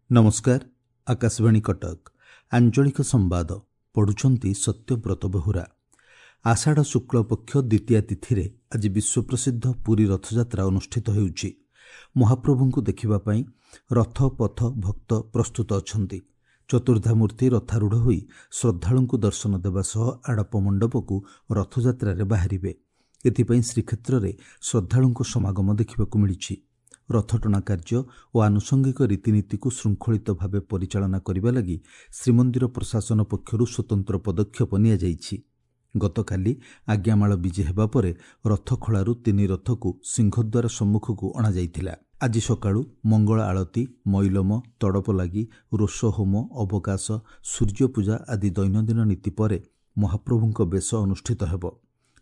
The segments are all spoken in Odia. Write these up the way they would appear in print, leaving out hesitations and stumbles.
ନମସ୍କାର, ଆକାଶବାଣୀ କଟକ। ଆଞ୍ଚଳିକ ସମ୍ବାଦ ପଢ଼ୁଛନ୍ତି ସତ୍ୟବ୍ରତ ବେହୁରା। ଆଷାଢ଼ ଶୁକ୍ଳପକ୍ଷ ଦ୍ୱିତୀୟା ତିଥିରେ ଆଜି ବିଶ୍ୱପ୍ରସିଦ୍ଧ ପୁରୀ ରଥଯାତ୍ରା ଅନୁଷ୍ଠିତ ହେଉଛି। ମହାପ୍ରଭୁଙ୍କୁ ଦେଖିବା ପାଇଁ ରଥ ପଥ ଭକ୍ତ ପ୍ରସ୍ତୁତ ଅଛନ୍ତି। ଚତୁର୍ଦ୍ଧାମୂର୍ତ୍ତି ରଥାରୂଢ଼ ହୋଇ ଶ୍ରଦ୍ଧାଳୁଙ୍କୁ ଦର୍ଶନ ଦେବା ସହ ଆଡ଼ପ ମଣ୍ଡପକୁ ରଥଯାତ୍ରାରେ ବାହାରିବେ। ଏଥିପାଇଁ ଶ୍ରୀକ୍ଷେତ୍ରରେ ଶ୍ରଦ୍ଧାଳୁଙ୍କ ସମାଗମ ଦେଖିବାକୁ ମିଳିଛି। ରଥଟଣା କାର୍ଯ୍ୟ ଓ ଆନୁଷଙ୍ଗିକ ରୀତିନୀତିକୁ ଶୃଙ୍ଖଳିତ ଭାବେ ପରିଚାଳନା କରିବା ଲାଗି ଶ୍ରୀମନ୍ଦିର ପ୍ରଶାସନ ପକ୍ଷରୁ ସ୍ୱତନ୍ତ୍ର ପଦକ୍ଷେପ ନିଆଯାଇଛି। ଗତକାଲି ଆଜ୍ଞାମାଳ ବିଜେ ହେବା ପରେ ରଥଖଳାରୁ ତିନି ରଥକୁ ସିଂହଦ୍ୱାର ସମ୍ମୁଖକୁ ଅଣାଯାଇଥିଲା। ଆଜି ସକାଳୁ ମଙ୍ଗଳ ଆଳତି, ମଇଲମ, ତଡ଼ପ ଲାଗି, ରୋଷ ହୋମ, ଅବକାଶ, ସୂର୍ଯ୍ୟପୂଜା ଆଦି ଦୈନନ୍ଦିନ ନୀତି ପରେ ମହାପ୍ରଭୁଙ୍କ ବେଶ ଅନୁଷ୍ଠିତ ହେବ।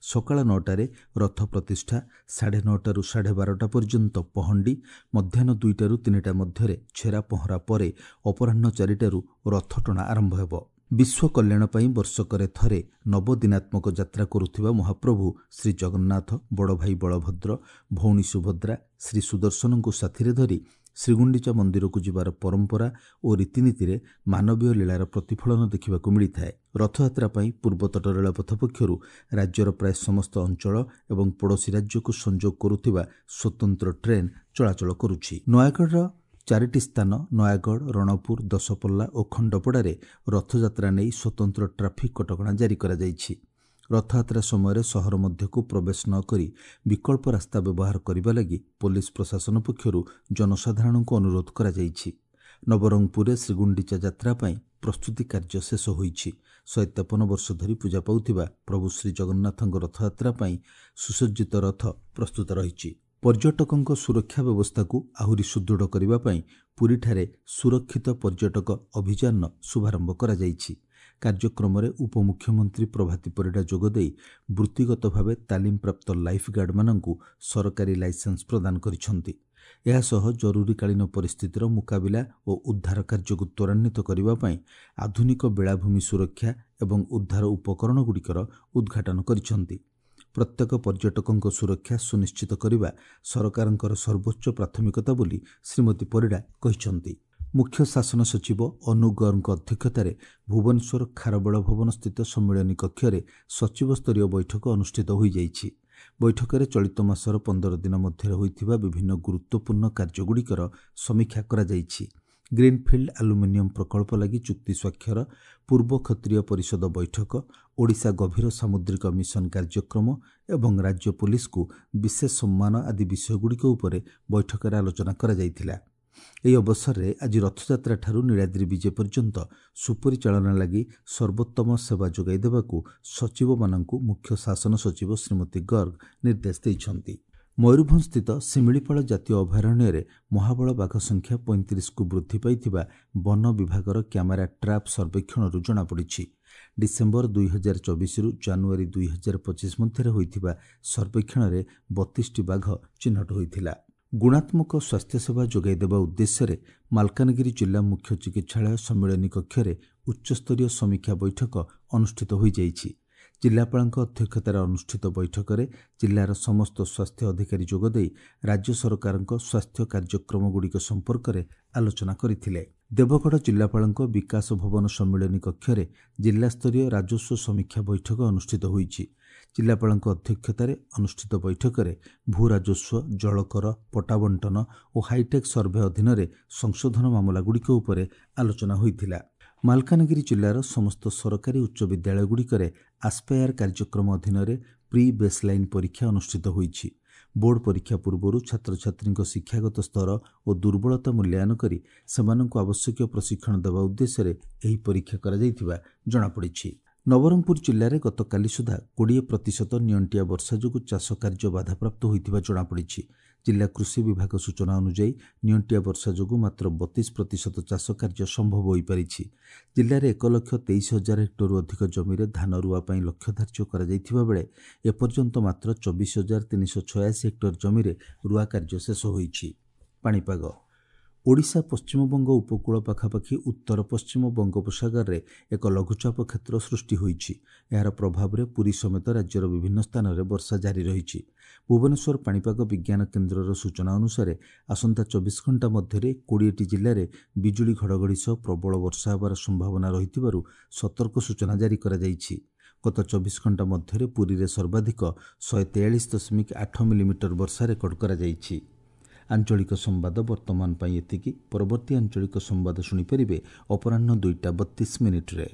ସକାଳ 9ଟାରେ ରଥ ପ୍ରତିଷ୍ଠା, 9:30ରୁ 12:30 ପର୍ଯ୍ୟନ୍ତ ପହଣ୍ଡି, ମଧ୍ୟାହ୍ନ 2ଟାରୁ 3ଟା ମଧ୍ୟରେ ଛେରା ପହଁରା ପରେ ଅପରାହ୍ନ 4ଟାରୁ ରଥଟଣା ଆରମ୍ଭ ହେବ। ବିଶ୍ୱ କଲ୍ୟାଣ ପାଇଁ ବର୍ଷକରେ ଥରେ ନବଦିନାତ୍ମକ ଯାତ୍ରା କରୁଥିବା ମହାପ୍ରଭୁ ଶ୍ରୀଜଗନ୍ନାଥ, ବଡ଼ଭାଇ ବଳଭଦ୍ର, ଭଉଣୀ ସୁଭଦ୍ରା, ଶ୍ରୀ ସୁଦର୍ଶନଙ୍କୁ ସାଥିରେ ଧରି ଶ୍ରୀଗୁଣ୍ଡିଚା ମନ୍ଦିରକୁ ଯିବାର ପରମ୍ପରା ଓ ରୀତିନୀତିରେ ମାନବୀୟ ଲୀଳାର ପ୍ରତିଫଳନ ଦେଖିବାକୁ ମିଳିଥାଏ। ରଥଯାତ୍ରା ପାଇଁ ପୂର୍ବତଟ ରେଳପଥ ପକ୍ଷରୁ ରାଜ୍ୟର ପ୍ରାୟ ସମସ୍ତ ଅଞ୍ଚଳ ଏବଂ ପଡ଼ୋଶୀ ରାଜ୍ୟକୁ ସଂଯୋଗ କରୁଥିବା ସ୍ୱତନ୍ତ୍ର ଟ୍ରେନ୍ ଚଳାଚଳ କରୁଛି। ନୟାଗଡ଼ର 4ଟି ସ୍ଥାନ ନୟାଗଡ଼, ରଣପୁର, ଦଶପଲ୍ଲା ଓ ଖଣ୍ଡପଡ଼ାରେ ରଥଯାତ୍ରା ନେଇ ସ୍ୱତନ୍ତ୍ର ଟ୍ରାଫିକ୍ କଟକଣା ଜାରି କରାଯାଇଛି। ରଥଯାତ୍ରା ସମୟରେ ସହର ମଧ୍ୟକୁ ପ୍ରବେଶ ନ କରି ବିକଳ୍ପ ରାସ୍ତା ବ୍ୟବହାର କରିବା ଲାଗି ପୋଲିସ ପ୍ରଶାସନ ପକ୍ଷରୁ ଜନସାଧାରଣଙ୍କୁ ଅନୁରୋଧ କରାଯାଇଛି। ନବରଙ୍ଗପୁରରେ ଶ୍ରୀଗୁଣ୍ଡିଚା ଯାତ୍ରା ପାଇଁ ପ୍ରସ୍ତୁତି କାର୍ଯ୍ୟ ଶେଷ ହୋଇଛି। 153 ବର୍ଷ ଧରି ପୂଜା ପାଉଥିବା ପ୍ରଭୁ ଶ୍ରୀଜଗନ୍ନାଥଙ୍କ ରଥଯାତ୍ରା ପାଇଁ ସୁସଜ୍ଜିତ ରଥ ପ୍ରସ୍ତୁତ ରହିଛି। ପର୍ଯ୍ୟଟକଙ୍କ ସୁରକ୍ଷା ବ୍ୟବସ୍ଥାକୁ ଆହୁରି ସୁଦୃଢ଼ କରିବା ପାଇଁ ପୁରୀଠାରେ ସୁରକ୍ଷିତ ପର୍ଯ୍ୟଟକ ଅଭିଯାନର ଶୁଭାରମ୍ଭ କରାଯାଇଛି। କାର୍ଯ୍ୟକ୍ରମରେ ଉପମୁଖ୍ୟମନ୍ତ୍ରୀ ପ୍ରଭାତୀ ପରିଡ଼ା ଯୋଗଦେଇ ବୃତ୍ତିଗତ ଭାବେ ତାଲିମପ୍ରାପ୍ତ ଲାଇଫ୍ ଗାର୍ଡମାନଙ୍କୁ ସରକାରୀ ଲାଇସେନ୍ସ ପ୍ରଦାନ କରିଛନ୍ତି। ଏହାସହ ଜରୁରୀକାଳୀନ ପରିସ୍ଥିତିର ମୁକାବିଲା ଓ ଉଦ୍ଧାର କାର୍ଯ୍ୟକୁ ତ୍ୱରାନ୍ୱିତ କରିବା ପାଇଁ ଆଧୁନିକ ବେଳାଭୂମି ସୁରକ୍ଷା ଏବଂ ଉଦ୍ଧାର ଉପକରଣଗୁଡ଼ିକର ଉଦ୍ଘାଟନ କରିଛନ୍ତି। ପ୍ରତ୍ୟେକ ପର୍ଯ୍ୟଟକଙ୍କ ସୁରକ୍ଷା ସୁନିଶ୍ଚିତ କରିବା ସରକାରଙ୍କର ସର୍ବୋଚ୍ଚ ପ୍ରାଥମିକତା ବୋଲି ଶ୍ରୀମତୀ ପରିଡ଼ା କହିଛନ୍ତି। ମୁଖ୍ୟ ଶାସନ ସଚିବ ଅନୁ ଗର୍ଗଙ୍କ ଅଧ୍ୟକ୍ଷତାରେ ଭୁବନେଶ୍ୱର ଖାରବେଳ ଭବନ ସ୍ଥିତ ସମ୍ମିଳନୀ କକ୍ଷରେ ସଚିବସ୍ତରୀୟ ବୈଠକ ଅନୁଷ୍ଠିତ ହୋଇଯାଇଛି। ବୈଠକରେ ଚଳିତ ମାସର 15 ଦିନ ମଧ୍ୟରେ ହୋଇଥିବା ବିଭିନ୍ନ ଗୁରୁତ୍ୱପୂର୍ଣ୍ଣ କାର୍ଯ୍ୟଗୁଡ଼ିକର ସମୀକ୍ଷା କରାଯାଇଛି। ଗ୍ରୀନ୍ଫିଲ୍ଡ ଆଲୁମିନିୟମ ପ୍ରକଳ୍ପ ଲାଗି ଚୁକ୍ତି ସ୍ୱାକ୍ଷର, ପୂର୍ବ କ୍ଷତ୍ରିୟ ପରିଷଦ ବୈଠକ, ଓଡ଼ିଶା ଗଭୀର ସାମୁଦ୍ରିକ ମିଶନ କାର୍ଯ୍ୟକ୍ରମ ଏବଂ ରାଜ୍ୟ ପୋଲିସକୁ ବିଶେଷ ସମ୍ମାନ ଆଦି ବିଷୟଗୁଡ଼ିକ ଉପରେ ବୈଠକରେ ଆଲୋଚନା କରାଯାଇଥିଲା। ଏହି ଅବସରରେ ଆଜି ରଥଯାତ୍ରାଠାରୁ ନୀଳାଦ୍ରି ବିଜେ ପର୍ଯ୍ୟନ୍ତ ସୁପରିଚାଳନା ଲାଗି ସର୍ବୋତ୍ତମ ସେବା ଯୋଗାଇ ଦେବାକୁ ସଚିବମାନଙ୍କୁ ମୁଖ୍ୟ ଶାସନ ସଚିବ ଶ୍ରୀମତୀ ଗର୍ଗ ନିର୍ଦ୍ଦେଶ ଦେଇଛନ୍ତି। ମୟୂରଭଞ୍ଜସ୍ଥିତ ଶିମିଳିପାଳ ଜାତୀୟ ଅଭୟାରଣ୍ୟରେ ମହାବଳ ବାଘ ସଂଖ୍ୟା 35କୁ ବୃଦ୍ଧି ପାଇଥିବା ବନ ବିଭାଗର କ୍ୟାମେରା ଟ୍ରାପ୍ ସର୍ବେକ୍ଷଣରୁ ଜଣାପଡ଼ିଛି। ଡିସେମ୍ବର 2024ରୁ ଜାନୁଆରୀ 2025 ମଧ୍ୟରେ ହୋଇଥିବା ସର୍ବେକ୍ଷଣରେ 32ଟି ବାଘ ଚିହ୍ନଟ ହୋଇଥିଲା। ଗୁଣାତ୍ମକ ସ୍ୱାସ୍ଥ୍ୟସେବା ଯୋଗାଇ ଦେବା ଉଦ୍ଦେଶ୍ୟରେ ମାଲକାନଗିରି ଜିଲ୍ଲା ମୁଖ୍ୟ ଚିକିତ୍ସାଳୟ ସମ୍ମିଳନୀ କକ୍ଷରେ ଉଚ୍ଚସ୍ତରୀୟ ସମୀକ୍ଷା ବୈଠକ ଅନୁଷ୍ଠିତ ହୋଇଯାଇଛି। ଜିଲ୍ଲାପାଳଙ୍କ ଅଧ୍ୟକ୍ଷତାରେ ଅନୁଷ୍ଠିତ ବୈଠକରେ ଜିଲ୍ଲାର ସମସ୍ତ ସ୍ୱାସ୍ଥ୍ୟ ଅଧିକାରୀ ଯୋଗଦେଇ ରାଜ୍ୟ ସରକାରଙ୍କ ସ୍ୱାସ୍ଥ୍ୟ କାର୍ଯ୍ୟକ୍ରମଗୁଡ଼ିକ ସମ୍ପର୍କରେ ଆଲୋଚନା କରିଥିଲେ। ଦେବଗଡ଼ ଜିଲ୍ଲାପାଳଙ୍କ ବିକାଶ ଭବନ ସମ୍ମିଳନୀ କକ୍ଷରେ ଜିଲ୍ଲାସ୍ତରୀୟ ରାଜସ୍ୱ ସମୀକ୍ଷା ବୈଠକ ଅନୁଷ୍ଠିତ ହୋଇଛି। ଜିଲ୍ଲାପାଳଙ୍କ ଅଧ୍ୟକ୍ଷତାରେ ଅନୁଷ୍ଠିତ ବୈଠକରେ ଭୂ ରାଜସ୍ୱ, ଜଳକର, ପଟ୍ଟା ବଣ୍ଟନ ଓ ହାଇଟେକ୍ ସର୍ଭେ ଅଧୀନରେ ସଂଶୋଧନ ମାମଲାଗୁଡ଼ିକ ଉପରେ ଆଲୋଚନା ହୋଇଥିଲା। ମାଲକାନଗିରି ଜିଲ୍ଲାର ସମସ୍ତ ସରକାରୀ ଉଚ୍ଚ ବିଦ୍ୟାଳୟଗୁଡ଼ିକରେ ଆସ୍ପାୟାର କାର୍ଯ୍ୟକ୍ରମ ଅଧୀନରେ ପ୍ରି ବେସ୍ଲାଇନ୍ ପରୀକ୍ଷା ଅନୁଷ୍ଠିତ ହୋଇଛି। ବୋର୍ଡ ପରୀକ୍ଷା ପୂର୍ବରୁ ଛାତ୍ରଛାତ୍ରୀଙ୍କ ଶିକ୍ଷାଗତ ସ୍ତର ଓ ଦୁର୍ବଳତା ମୂଲ୍ୟାୟନ କରି ସେମାନଙ୍କୁ ଆବଶ୍ୟକୀୟ ପ୍ରଶିକ୍ଷଣ ଦେବା ଉଦ୍ଦେଶ୍ୟରେ ଏହି ପରୀକ୍ଷା କରାଯାଇଥିବା ଜଣାପଡ଼ିଛି। ନବରଙ୍ଗପୁର ଜିଲ୍ଲାରେ ଗତକାଲି ସୁଦ୍ଧା 20% ନିଅଣ୍ଟିଆ ବର୍ଷା ଯୋଗୁଁ ଚାଷ କାର୍ଯ୍ୟ ବାଧାପ୍ରାପ୍ତ ହୋଇଥିବା ଜଣାପଡ଼ିଛି। ଜିଲ୍ଲା କୃଷି ବିଭାଗ ସୂଚନା ଅନୁଯାୟୀ ନିଅଣ୍ଟିଆ ବର୍ଷା ଯୋଗୁଁ ମାତ୍ର 32% ଚାଷ କାର୍ଯ୍ୟ ସମ୍ଭବ ହୋଇପାରିଛି। ଜିଲ୍ଲାରେ 1,23,000 ହେକ୍ଟରରୁ ଅଧିକ ଜମିରେ ଧାନ ରୁଆ ପାଇଁ ଲକ୍ଷ୍ୟ ଧାର୍ଯ୍ୟ କରାଯାଇଥିବା ବେଳେ ଏପର୍ଯ୍ୟନ୍ତ ମାତ୍ର 24,386 ହେକ୍ଟର ଜମିରେ ରୁଆ କାର୍ଯ୍ୟ ଶେଷ ହୋଇଛି। ପାଣିପାଗ। ଓଡ଼ିଶା ପଶ୍ଚିମବଙ୍ଗ ଉପକୂଳ ପାଖାପାଖି ଉତ୍ତର ପଶ୍ଚିମ ବଙ୍ଗୋପସାଗରରେ ଏକ ଲଘୁଚାପ କ୍ଷେତ୍ର ସୃଷ୍ଟି ହୋଇଛି। ଏହାର ପ୍ରଭାବରେ ପୁରୀ ସମେତ ରାଜ୍ୟର ବିଭିନ୍ନ ସ୍ଥାନରେ ବର୍ଷା ଜାରି ରହିଛି। ଭୁବନେଶ୍ୱର ପାଣିପାଗ ବିଜ୍ଞାନ କେନ୍ଦ୍ରର ସୂଚନା ଅନୁସାରେ ଆସନ୍ତା 24 ଘଣ୍ଟା ମଧ୍ୟରେ 20ଟି ଜିଲ୍ଲାରେ ବିଜୁଳି ଘଡ଼ଘଡ଼ି ସହ ପ୍ରବଳ ବର୍ଷା ହେବାର ସମ୍ଭାବନା ରହିଥିବାରୁ ସତର୍କ ସୂଚନା ଜାରି କରାଯାଇଛି। ଗତ 24 ଘଣ୍ଟା ମଧ୍ୟରେ ପୁରୀରେ ସର୍ବାଧିକ 143.8 ମିଲିମିଟର ବର୍ଷା ରେକର୍ଡ କରାଯାଇଛି। ଆଞ୍ଚଳିକ ସମ୍ବାଦ ବର୍ତ୍ତମାନ ପାଇଁ ଏତିକି। ପରବର୍ତ୍ତୀ ଆଞ୍ଚଳିକ ସମ୍ବାଦ ଶୁଣିପାରିବେ ଅପରାହ୍ନ 2ଟା 32 ମିନିଟ୍ରେ।